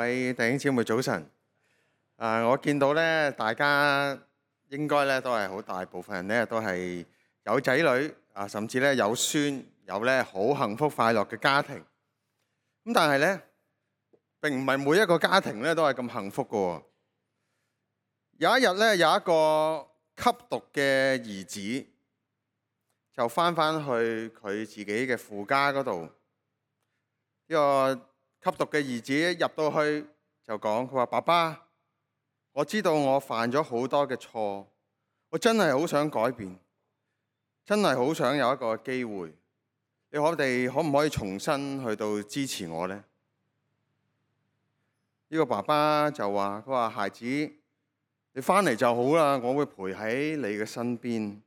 位弟兄姊妹早晨。我見到咧，大家應該咧都係好大部分人咧都係有仔女甚至咧有孫，有咧好幸福快樂嘅家庭。咁但係咧，並唔係每一個家庭咧都係咁幸福㗎。有一日咧，有一個吸毒嘅兒子就翻去佢自己嘅父家嗰度。呢個吸毒嘅兒子一入到去就講：佢話爸爸，我知道我犯咗好多嘅錯，我真係好想改變，真係好想有一個機會。我哋可唔可以重新去到支持我呢？呢個爸爸就話：佢話孩子，你翻嚟就好啦，我會陪喺你嘅身邊。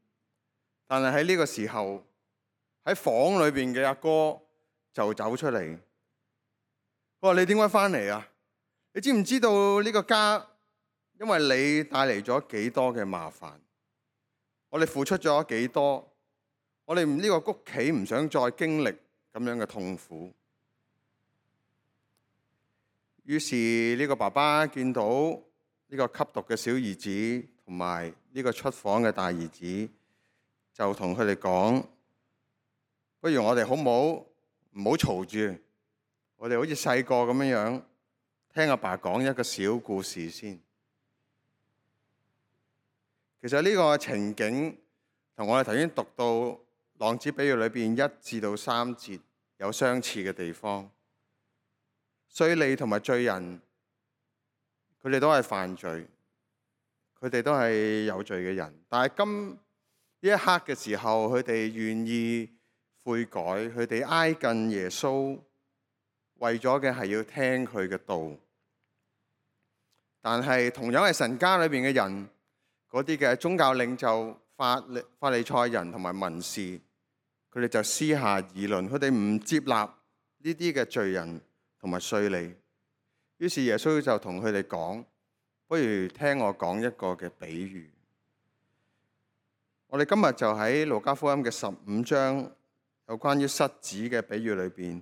但係喺呢個時候，喺房裏邊嘅阿哥就走出嚟。佢話：你點解翻嚟啊？你知唔知道呢個家因為你帶嚟咗幾多嘅麻煩？我哋付出咗幾多？我哋呢個屋企唔想再經歷咁樣嘅痛苦。於是呢個爸爸見到呢個吸毒嘅小兒子同埋呢個出房嘅大兒子，就同佢哋講：不如我哋好唔好嘈住？我哋好似細個咁樣聽阿爸講一個小故事先。其實呢個情景同我哋頭先讀到浪子比喻裏邊1至3節有相似嘅地方。稅吏同埋罪人，佢哋都係犯罪，佢哋都係有罪嘅人。但係呢一刻嘅時候，佢哋願意悔改，佢哋挨近耶穌，為咗嘅係要聽佢嘅道。但係同樣係神家裏邊嘅人，嗰啲嘅宗教領袖、法利賽人同埋文士，佢哋就私下議論，佢哋唔接納呢啲嘅罪人同埋稅吏。於是耶穌就同佢哋講：不如聽我講一個嘅比喻。我哋今日就喺路加福音嘅15章有關於失子嘅比喻裏邊，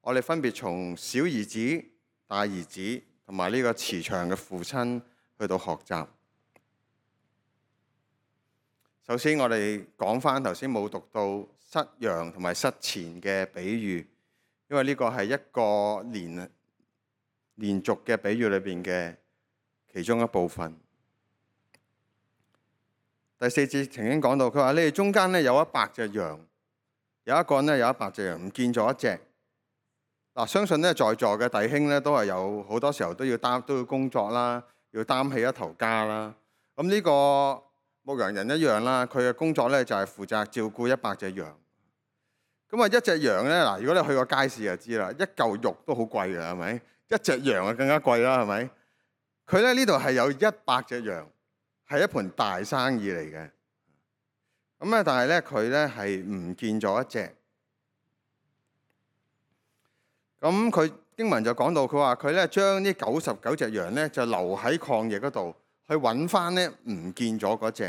我哋分別從小兒子、大兒子同埋呢個慈祥嘅父親去到學習。首先我哋講翻頭先冇讀到失羊同埋失錢嘅比喻，因為呢個係一個連續嘅比喻裏邊嘅其中一部分。第4節曾經講到，佢話：你哋中間咧有100隻羊，有一個人咧有100隻羊唔見咗一隻。嗱，相信咧在座嘅弟兄咧都係有好多時候都要工作啦，要擔起一頭家啦。咁呢個牧羊人一樣啦，佢嘅工作咧就係負責照顧100隻羊。咁啊，一隻羊咧，嗱，如果你去過街市就知啦，一嚿肉都好貴嘅，係咪？一隻羊啊更加貴啦，係咪？佢咧呢度係有100隻羊，係一盤大生意嚟嘅。咁啊，但係咧佢咧係唔見咗一隻。咁佢經文就講到，佢話佢咧將呢99隻羊咧就留喺曠野嗰度，去揾翻咧唔見咗嗰隻。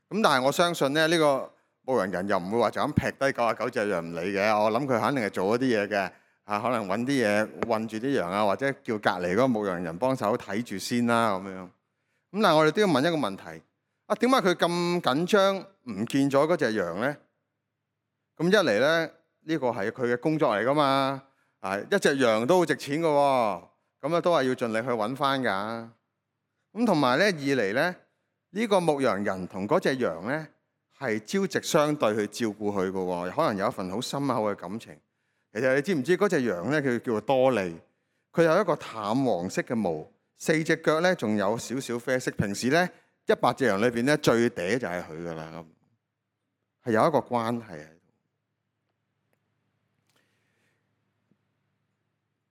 咁但係我相信咧呢個牧羊人又唔會話就咁劈低99隻羊唔理嘅。我諗佢肯定係做一啲嘢嘅。可能揾啲嘢韞住啲羊啊，或者叫隔離嗰個牧羊人幫手睇住先啦咁樣。咁但係我哋都要問一個問題：點解佢咁緊張唔見咗嗰隻羊咧？咁一嚟咧，呢個係佢嘅工作嚟噶嘛。一隻羊都好值錢嘅喎，咁咧都係要盡力去揾翻㗎。咁同埋咧，二嚟咧，呢個牧羊人同嗰隻羊咧係朝夕相對去照顧佢嘅喎，可能有一份好深厚嘅感情。其實你知唔知嗰隻羊咧，佢叫做多利，佢有一個淡黃色嘅毛，4隻腳咧仲有少少啡色。平時咧100隻羊裏邊咧最嗲就係佢㗎啦，係有一個關係喺度。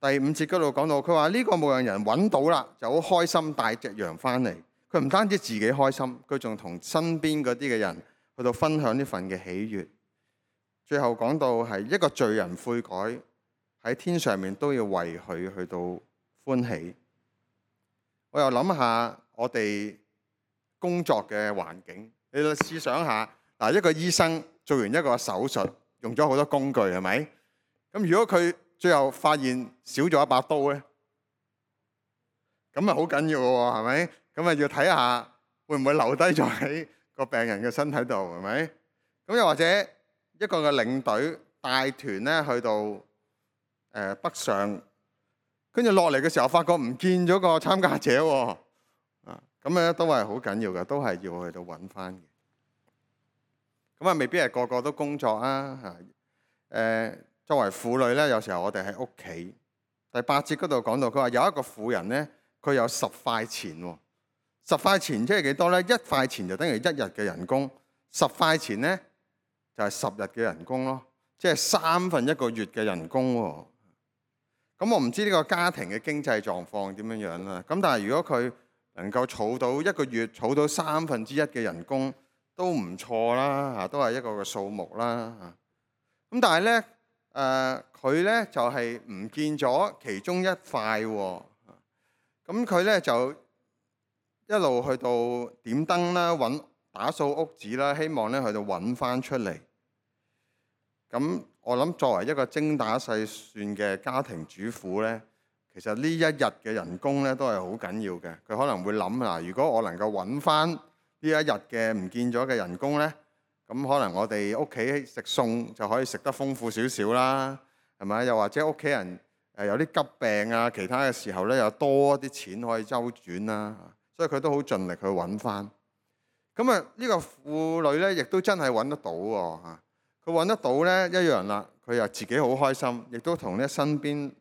第5節嗰度講到，佢話呢個牧羊人揾到啦，就好開心帶隻羊翻嚟。佢唔單止自己開心，佢仲同身邊嗰啲嘅人去到分享呢份嘅喜悅。最後講到係一個罪人悔改，喺天上面都要為佢去到歡喜。我又諗下我哋工作嘅環境，你試想下，一個醫生做完一個手術，用咗好多工具，係咪？咁如果佢最後發現少咗一把刀咧，咁啊好緊要嘅喎，係咪？咁啊要睇下會唔會留低咗喺個病人嘅身體度，係咪？咁又或者一個嘅領隊帶團咧去到北上，跟住落嚟嘅時候發覺唔見咗個參加者喎，咁咧都係好緊要嘅，都係要去到揾翻嘅。咁啊未必係個個都工作啊，作為婦女咧，有時候我哋喺屋企。第8節嗰度講到，佢話有一個婦人咧，佢有10塊錢喎。10塊錢即係幾多咧？1塊錢就等於1日嘅人工，10塊錢咧就係10日嘅人工咯，即係1/3個月嘅人工喎。咁我唔知呢個家庭嘅經濟狀況點樣樣啦。咁但係如果佢能夠儲到一個月儲到1/3嘅人工，都唔錯啦，嚇都係一個嘅數目啦，嚇。咁但係咧，佢咧就係唔見咗其中1塊喎。咁佢咧就一路去到點燈啦，打掃屋子啦，希望咧去到揾翻出嚟。咁我諗作為一個精打細算嘅家庭主婦咧，其實呢一日嘅人工咧都係好緊要嘅。佢可能會諗啊，如果我能夠揾翻呢一日嘅唔見咗嘅人工咧，咁可能我哋屋企食餸就可以食得豐富少少啦，係咪？又或者屋企人有啲急病啊，其他嘅時候咧，有多啲錢可以周轉啦。所以佢都好盡力去揾翻。咁啊，呢個婦女咧，亦都真係揾得到喎嚇。佢揾得到咧，一樣啦。佢又自己好開心，亦都同咧身邊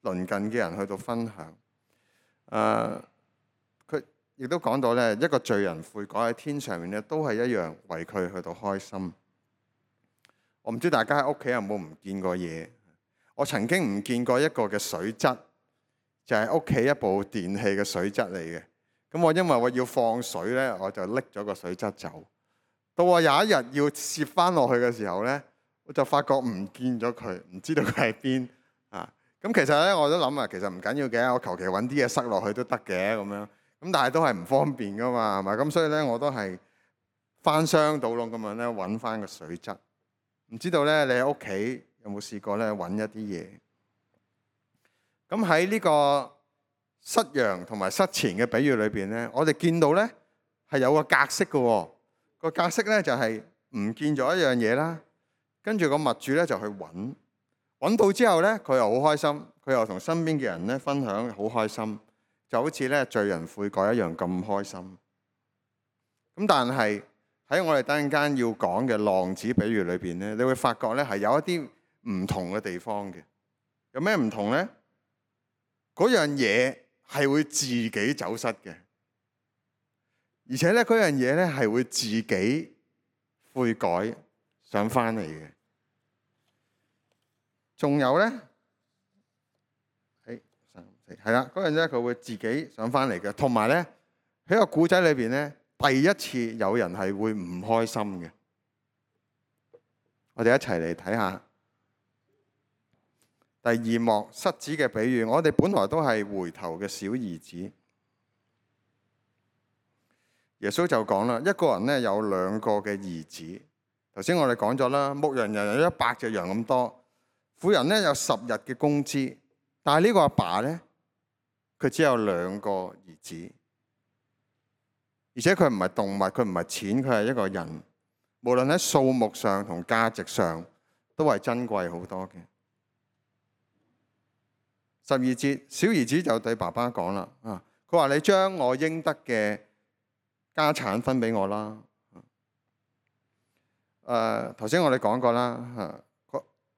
鄰近嘅人去到分享。佢亦都講到咧，一個罪人悔改喺天上面咧，都係一樣為佢去到開心。我唔知大家喺屋企有冇唔見過嘢？我曾經唔見過一個嘅水質，就係屋企一部電器嘅水質嚟嘅。咁我因為我要放水咧，我就拎咗個水質走。到我有一日要攝翻落去嘅時候咧，我就發覺唔見咗佢，唔知道佢喺邊啊！咁其實咧我都諗啊，其實唔緊要嘅，我求其揾啲嘢塞落去都得嘅咁樣。咁但係都係唔方便噶嘛，係咪？咁所以咧我都係翻箱倒籠咁樣咧揾翻個水質。唔知道咧你喺屋企有冇試過咧揾一啲嘢？咁喺呢個失羊同埋失錢嘅比喻裏邊咧，我哋見到咧係有個格式嘅喎。個格式咧就係唔見咗一樣嘢啦，跟住個物主咧就去揾到之後咧，佢又好開心，佢又同身邊嘅人咧分享，好開心，就好似咧罪人悔改一樣咁開心。咁但係喺我哋等陣間要講嘅浪子比喻裏邊咧，你會發覺咧係有一啲唔同嘅地方嘅。有咩唔同咧？嗰樣嘢係會自己走失嘅。而且咧，嗰樣嘢咧係會自己悔改想翻嚟嘅。仲有咧，係啦，嗰樣咧佢會自己想翻嚟嘅。同埋咧，喺個古仔裏邊咧，第一次有人係會唔開心嘅。我哋一齊嚟睇下第2幕失子嘅比喻。我哋本來都係回頭嘅小兒子。耶穌就講啦，一個人咧有2個嘅兒子。頭先我哋講咗啦，牧羊人有100隻羊咁多，婦人咧有10日嘅工資，但係呢個阿爸咧，佢只有2個兒子，而且佢唔係動物，佢唔係錢，佢係一個人。無論喺數目上同價值上，都係珍貴好多嘅。12節，小兒子就對爸爸講啦，佢話你將我應得嘅家產分俾我啦。頭先我哋講過啦，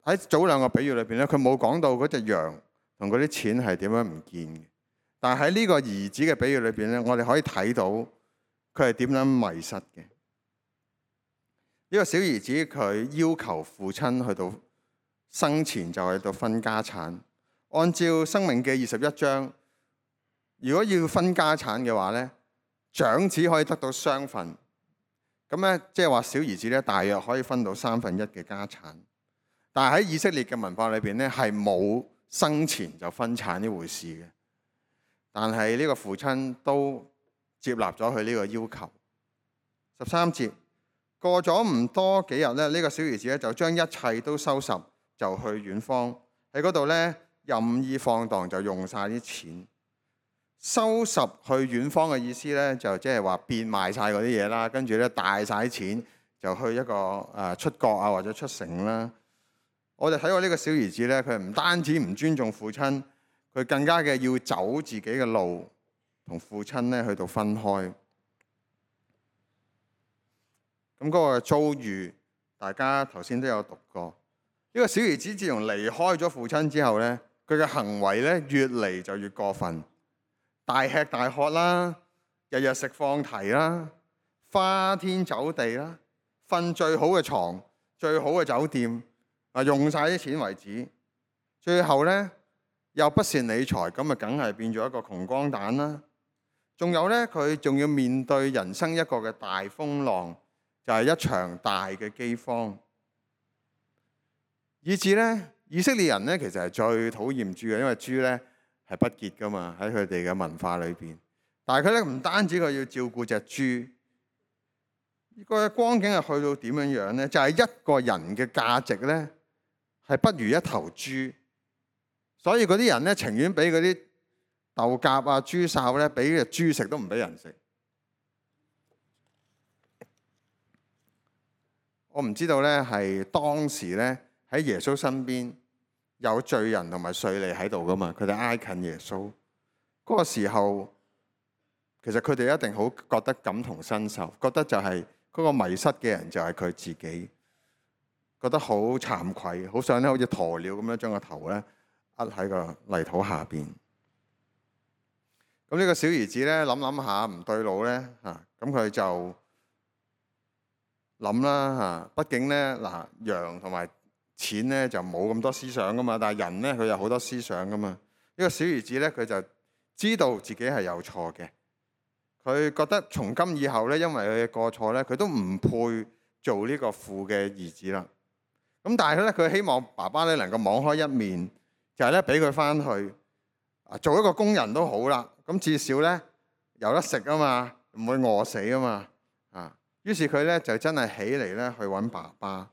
喺早2個比喻裏邊咧，佢冇講到嗰隻羊同嗰啲錢係點樣唔見嘅。但係喺呢個兒子嘅比喻裏邊咧，我哋可以睇到佢係點樣迷失嘅。呢個小兒子佢要求父親去到生前就去到分家產。按照《申命記》21章，如果要分家產嘅話咧，長子可以得到雙份，咁咧即係話小兒子咧大約可以分到1/3嘅家產。但係喺以色列嘅文化裏邊咧，係冇生前就分產呢回事嘅。但係呢個父親都接納咗佢呢個要求。13節，過咗唔多幾日咧，呢個小兒子咧就將一切都收拾，就去遠方喺嗰度咧任意放蕩，就用晒啲錢。收拾去遠方嘅意思咧，就即係話變賣晒嗰啲嘢啦，跟住咧帶晒錢就去一個出國啊或者出城啦。我哋睇過呢個小兒子咧，佢唔單止唔尊重父親，佢更加嘅要走自己嘅路，同父親咧去到分開。咁嗰個遭遇，大家頭先都有讀過。呢個小兒子自從離開咗父親之後咧，佢嘅行為咧越嚟就越過分，大吃大喝啦，日日食放題啦，花天酒地啦，瞓最好嘅床、最好嘅酒店，用晒啲錢為止。最後咧又不善理財，咁啊梗係變咗一個窮光蛋啦。仲有咧，佢仲要面對人生一個嘅大風浪，就係一場大嘅饑荒。以至咧，以色列人咧其實係最討厭豬嘅，因為豬咧係不潔噶嘛，喺佢哋嘅文化裏邊。但係佢咧唔單止佢要照顧隻豬，呢個光景係去到點樣樣咧？就係一個人嘅價值咧係不如一頭豬，所以嗰啲人咧情願俾嗰啲豆莢啊、豬潲咧俾隻豬食，都唔俾人食。我唔知道咧，係當時咧喺耶穌身邊有罪人同埋稅吏喺度噶嘛？佢哋挨近耶穌嗰個時候，其實佢哋一定好覺得感同身受，覺得就係嗰個迷失嘅人就係佢自己，覺得好慚愧，好想咧好似鴕鳥咁樣將個頭咧壓喺個泥土下邊。咁呢個小兒子咧諗下唔對路咧嚇，咁佢就諗啦嚇。畢竟咧羊同埋錢咧就冇咁多思想噶嘛，但係人咧佢有好多思想噶嘛。呢個小兒子咧佢就知道自己係有錯嘅，佢覺得從今以後咧，因為佢嘅過錯咧，佢都唔配做呢個父嘅兒子啦。咁但係咧，佢希望爸爸咧能夠網開一面，就係咧俾佢翻去做一個工人都好啦。咁至少咧有得食啊嘛，唔會餓死啊嘛。於是佢咧就真係起嚟咧去揾爸爸。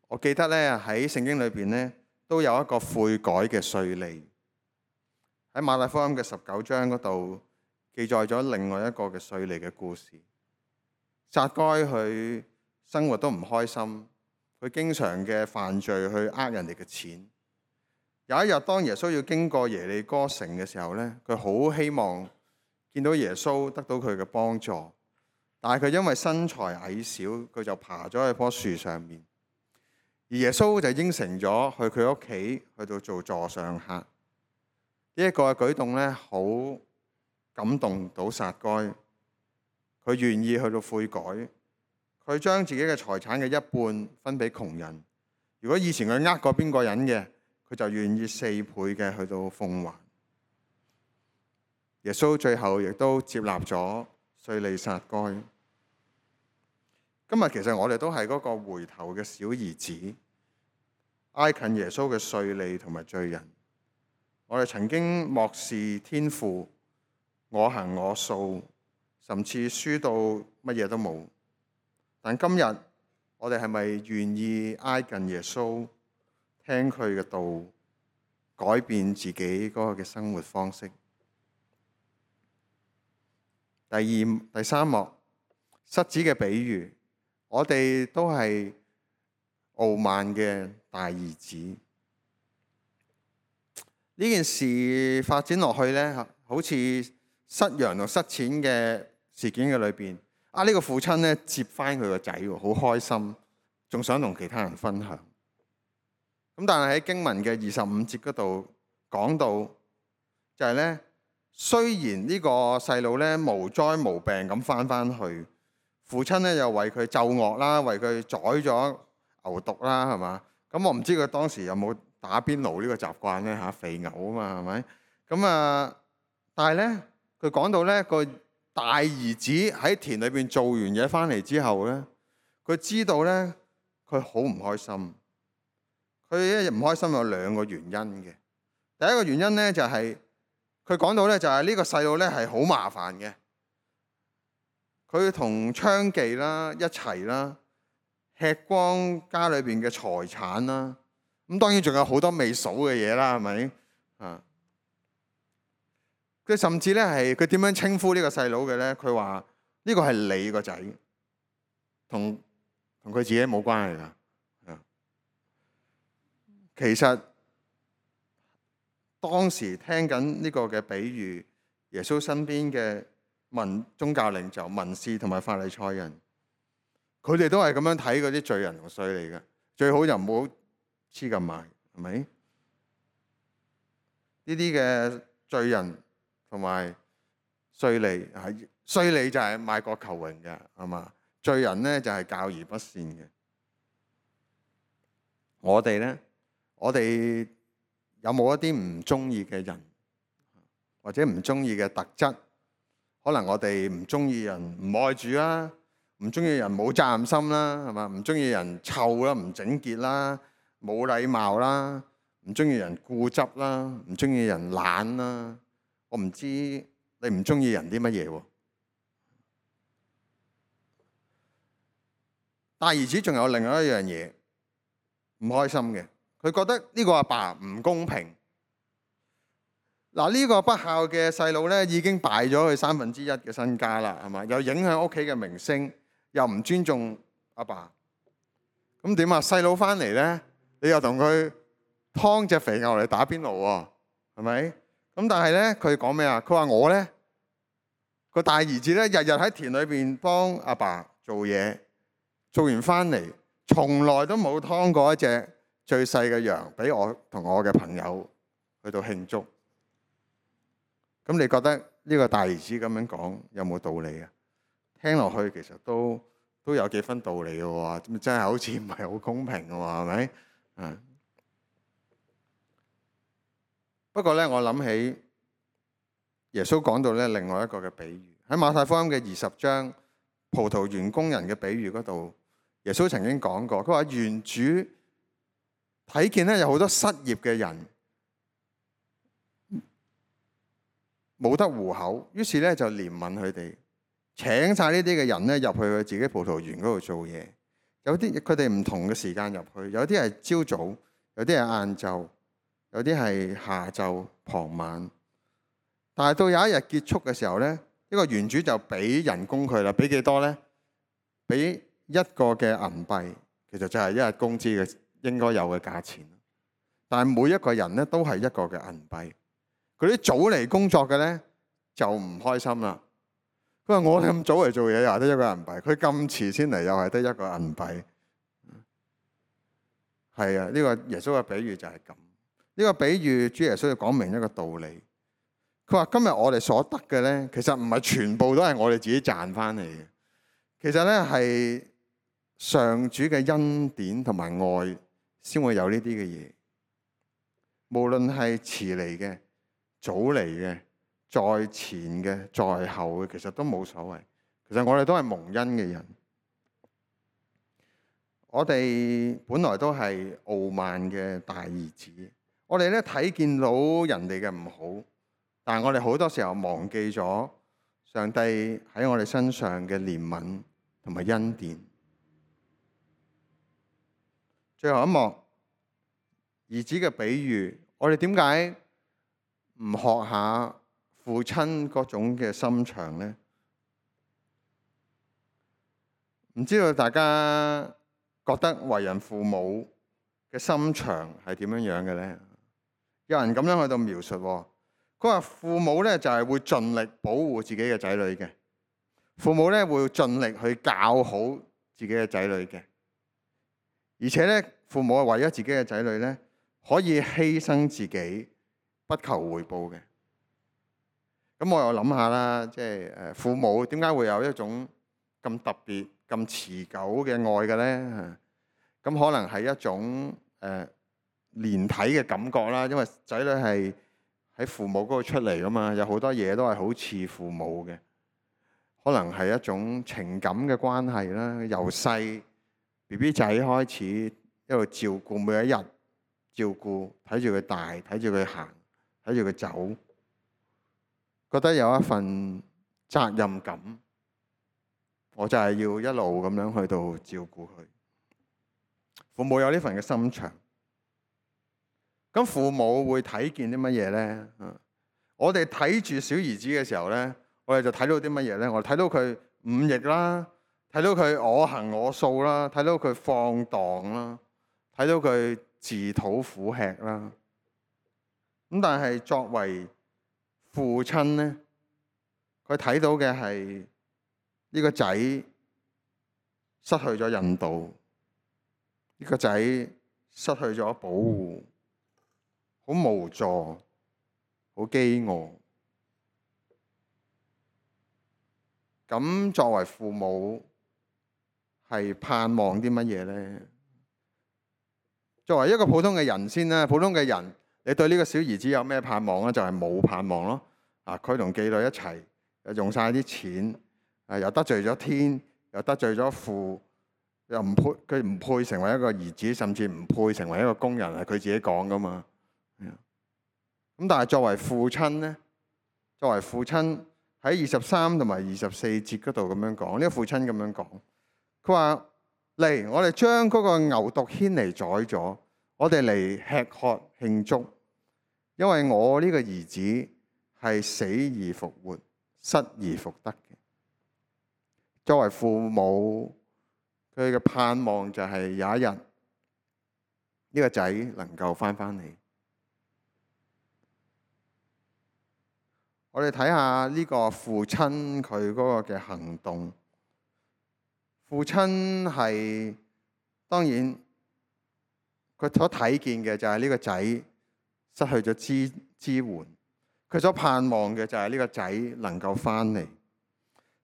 我記得咧喺聖經裏邊咧都有一個悔改嘅稅吏，喺馬太福音嘅19章嗰度記載咗另外一個嘅稅吏嘅故事。撒該佢生活都唔開心，佢經常嘅犯罪去呃人哋嘅錢。有一日當耶穌要經過耶利哥城嘅時候咧，佢好希望見到耶穌得到佢嘅幫助，但係佢因為身材矮小，佢就爬咗喺棵樹上面。而耶穌就應承咗去佢屋企去到做座上客。呢一個嘅舉動咧，好感動到撒該，佢願意去到悔改，佢將自己嘅財產嘅一半分俾窮人。如果以前佢呃過邊個人嘅，佢就願意4倍嘅去到奉還。耶穌最後亦都接納咗稅吏撒該。今日其實我哋都係嗰個回頭嘅小兒子，挨近耶穌嘅稅吏同埋罪人。我哋曾經漠視天父，我行我素，甚至輸到乜嘢都冇。但今日我哋係咪願意挨近耶穌，聽佢嘅道，改變自己嗰個嘅生活方式？第三幕，失子嘅比喻。我哋都係傲慢嘅大兒子。呢件事發展落去呢，好似失羊同失錢嘅事件嘅裏邊，呢個父親呢接翻佢個仔，好開心，仲想同其他人分享。咁但係喺經文嘅25節嗰度講到，就係呢：雖然呢個細路呢無災無病咁翻去，父親咧又為佢奏樂啦，為佢宰咗牛犢啦，係嘛？咁我唔知佢當時有冇打邊爐呢個習慣咧嚇，肥牛啊嘛，係咪？咁但係咧，佢講到咧個大兒子喺田裏邊做完嘢翻嚟之後咧，佢知道咧佢好唔開心。佢一唔開心有2個原因嘅。第一個原因咧就係佢講到咧就係呢個細路咧係好麻煩嘅。佢同娼妓啦一齊啦，吃光家裏邊嘅財產啦，咁當然仲有好多未數嘅嘢啦，係咪？佢甚至咧係佢點樣稱呼呢個細佬嘅咧？佢話呢個係你個仔，同佢自己冇關係㗎。其實當時聽緊呢個嘅比喻，耶穌身邊嘅宗教領袖、文士同埋法利賽人，佢哋都係咁樣睇嗰啲罪人同稅吏嘅，最好就唔好黐咁埋，係咪？呢啲嘅罪人同埋稅吏，稅吏就係賣國求榮嘅，係嘛？罪人咧就係教而不善嘅。我哋咧，我哋有冇一啲唔中意嘅人，或者唔中意嘅特質？可能我哋唔中意人唔愛主啦，唔中意人冇責任心啦，係嘛？唔中意人臭啦，唔整潔啦，冇禮貌啦，唔中意人固執啦，唔中意人懶啦。我唔知你唔中意人啲乜嘢喎？大兒子仲有另外一樣嘢唔開心嘅，佢覺得呢個阿爸唔公平。嗱，呢個不孝嘅細佬咧，已經敗咗佢1/3嘅身家啦，係嘛？又影響屋企嘅名聲，又唔尊重阿爸。咁點啊？細佬翻嚟咧，你又同佢劏隻肥牛嚟打邊爐喎，係咪？咁但係咧，佢講咩啊？佢話我咧個大兒子咧，日日喺田裏邊幫阿爸做嘢，做完翻嚟，從來都冇劏過一隻最細嘅羊俾我同我嘅朋友去到慶祝。咁你覺得呢個大兒子咁樣講有冇道理啊？聽落去其實都有幾分道理嘅喎，真係好似唔係好公平嘅喎，係咪？不過咧，我諗起耶穌講到咧另外一個嘅比喻，喺馬太福音嘅20章葡萄園工人嘅比喻嗰度，耶穌曾經講過，佢話園主睇見咧有好多失業嘅人，冇得糊口，於是咧就憐憫佢哋，請晒呢啲嘅人咧入去佢自己葡萄園嗰度做嘢。有啲佢哋唔同嘅時間入去，有啲係朝早，有啲係晏晝，有啲係下晝、傍晚。但係到有一日結束嘅時候咧，呢個園主就俾人工佢啦，俾幾多咧？俾一個嘅銀幣，其實就係一日工資嘅應該有嘅價錢。但係每一個人咧都係一個嘅銀幣。佢啲早嚟工作嘅咧就唔開心啦。佢話我咁早嚟做嘢又係得一個銀幣，佢咁遲先嚟又係得一個銀幣。係啊，呢個耶穌嘅比喻就係咁。呢個比喻主耶穌要講明一個道理。佢話今日我哋所得嘅咧，其實唔係全部都係我哋自己賺翻嚟嘅。其實咧係上主嘅恩典同埋愛先會有呢啲嘅嘢。無論係遲嚟嘅、早嚟嘅、在前嘅、在後嘅，其實都冇所謂。其實我哋都係蒙恩嘅人。我哋本來都係傲慢嘅大兒子。我哋咧睇見到人哋嘅唔好，但係我哋好多時候忘記咗上帝喺我哋身上嘅憐憫同埋恩典。最後一幕，兒子嘅比喻，我哋點解唔學下父親嗰種嘅心腸呢？唔知道大家覺得為人父母嘅心腸係點樣樣嘅呢？有人咁樣去到描述，佢話父母咧就係會盡力保護自己嘅仔女嘅，父母咧會盡力去教好自己嘅仔女嘅，而且咧父母係為咗自己嘅仔女咧可以犧牲自己，不求回報嘅。咁我又諗下啦，即係父母點解會有一種咁特別、咁持久嘅愛嘅咧？咁可能係一種連體嘅感覺啦，因為仔女係喺父母嗰度出嚟噶嘛，有好多嘢都係好似父母嘅，可能係一種情感嘅關係啦。由細 BB 仔開始一路照顧，每一日照顧，睇住佢大，睇住佢行，睇住佢走，覺得有一份責任感，我就係要一路咁樣去到照顧佢。父母有呢份嘅心腸。咁父母會睇見啲乜嘢咧？我哋睇住小兒子嘅時候咧，我哋就睇到啲乜嘢咧？我哋睇到佢忤逆啦，睇到佢我行我素啦，睇到佢放蕩啦，睇到佢自討苦吃啦。咁但係作為父親咧，佢睇到嘅係呢個仔失去咗引導，呢個仔失去咗保護，好無助，好飢餓。咁作為父母係盼望啲乜嘢咧？作為一個普通嘅人先啦，普通嘅人，你對呢個小兒子有咩盼望咧？就係冇盼望咯。佢同妓女一齊，又用晒啲錢，又得罪咗天，又得罪咗父，又唔配，佢唔配成為一個兒子，甚至唔配成為一個工人，係佢自己講噶嘛。咁但係作為父親咧，作為父親喺23同埋24節嗰度咁樣講，呢個父親咁樣講，佢話嚟，我哋將嗰個牛犢牽嚟宰咗，我哋嚟吃喝慶祝，因為我呢個兒子係死而復活，失而復得嘅。作為父母，佢嘅盼望就係有一日呢個仔能夠翻嚟。我哋睇下呢個父親佢嗰個嘅行動。父親係當然佢所睇見嘅就係呢個仔失去咗支援，佢所盼望嘅就係呢個仔能夠翻嚟。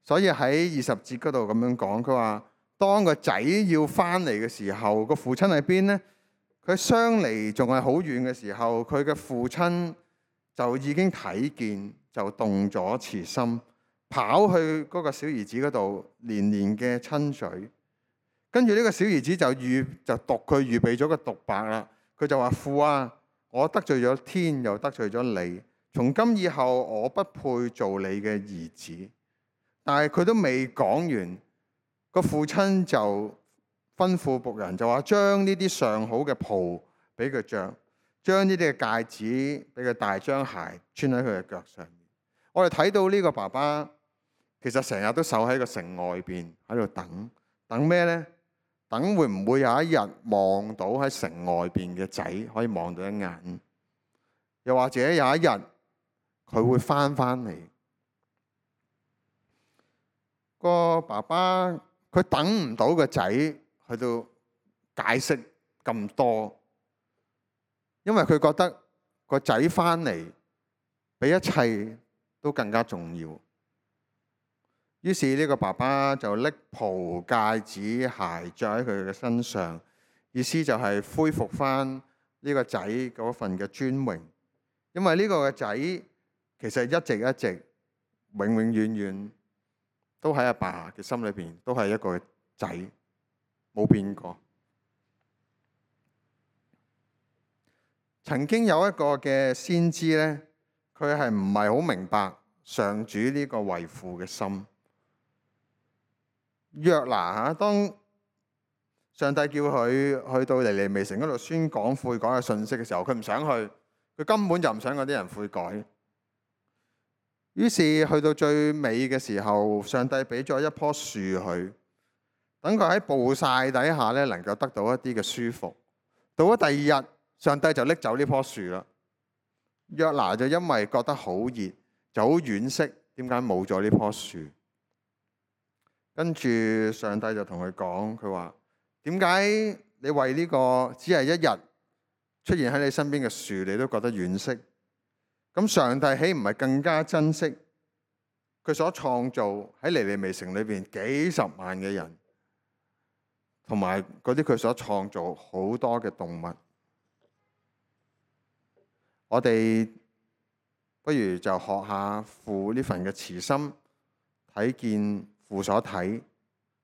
所以喺20節嗰度咁樣講，佢話當個仔要翻嚟嘅時候，個父親喺邊呢？佢相離仲係好遠嘅時候，佢嘅父親就已經睇見，就動咗慈心，跑去嗰個小兒子嗰度，連連嘅親嘴。跟住呢個小兒子就讀佢預備咗個獨白啦。佢就話：父啊，我得罪咗天，又得罪咗你，從今以後我不配做你嘅兒子。但係佢都未講完，個父親就吩咐僕人就話：將呢啲上好嘅袍俾佢着，將呢啲嘅戒指俾佢戴，將鞋穿喺佢嘅腳上面。我哋睇到呢個爸爸其實成日都守喺個城外邊喺度等咩呢？等會唔會有一日望到喺城外邊嘅仔可以望到一眼？又或者有一日佢會翻嚟？個爸爸佢等唔到個仔去到解釋咁多，因為佢覺得個仔翻嚟比一切都更加重要。於是呢個爸爸就拎袍、戒指、鞋着喺佢嘅身上，意思就係恢復翻呢個仔嗰份嘅尊榮。因為呢個嘅仔其實一直永遠都喺阿爸嘅心裏邊都係一個仔，冇變過。曾經有一個嘅先知呢，佢係唔係好明白上主呢個為父嘅心。約拿當上帝叫佢去到尼尼微城嗰度宣講悔改嘅信息嘅時候，佢唔想去，佢根本就唔想嗰啲人悔改。於是去到最尾嘅時候，上帝俾咗一棵樹佢，等佢喺暴曬底下咧，能夠得到一啲嘅舒服。到咗第二日，上帝就拎走呢棵樹啦。約拿就因為覺得好熱，就好惋惜，點解冇咗呢棵樹？跟住上帝就同佢講，佢話：點解你為呢個只係一日出現喺你身邊嘅樹，你都覺得惋惜？咁上帝豈唔係更加珍惜佢所創造喺尼尼微城裏邊幾十萬嘅人，同埋嗰啲佢所創造好多嘅動物？我哋不如就學下父呢份嘅慈心，睇見父所睇，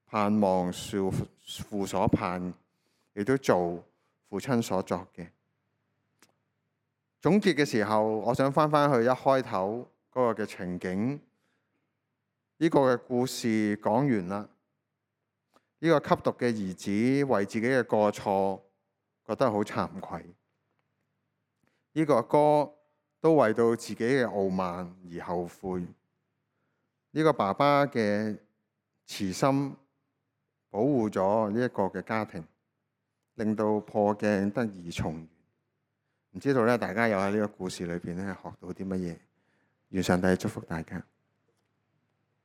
盼望父所盼，亦都做父親所作嘅。總結嘅時候，我想翻去一開頭嗰個嘅情景，呢個嘅故事講完啦。呢個吸毒嘅兒子為自己嘅過錯覺得好慚愧。呢個哥都為到自己嘅傲慢而後悔。呢個爸爸嘅慈心保護咗呢一個嘅家庭，令到破鏡得以重圓。唔知道咧，大家有喺呢個故事裏邊咧學到啲乜嘢？願上帝祝福大家。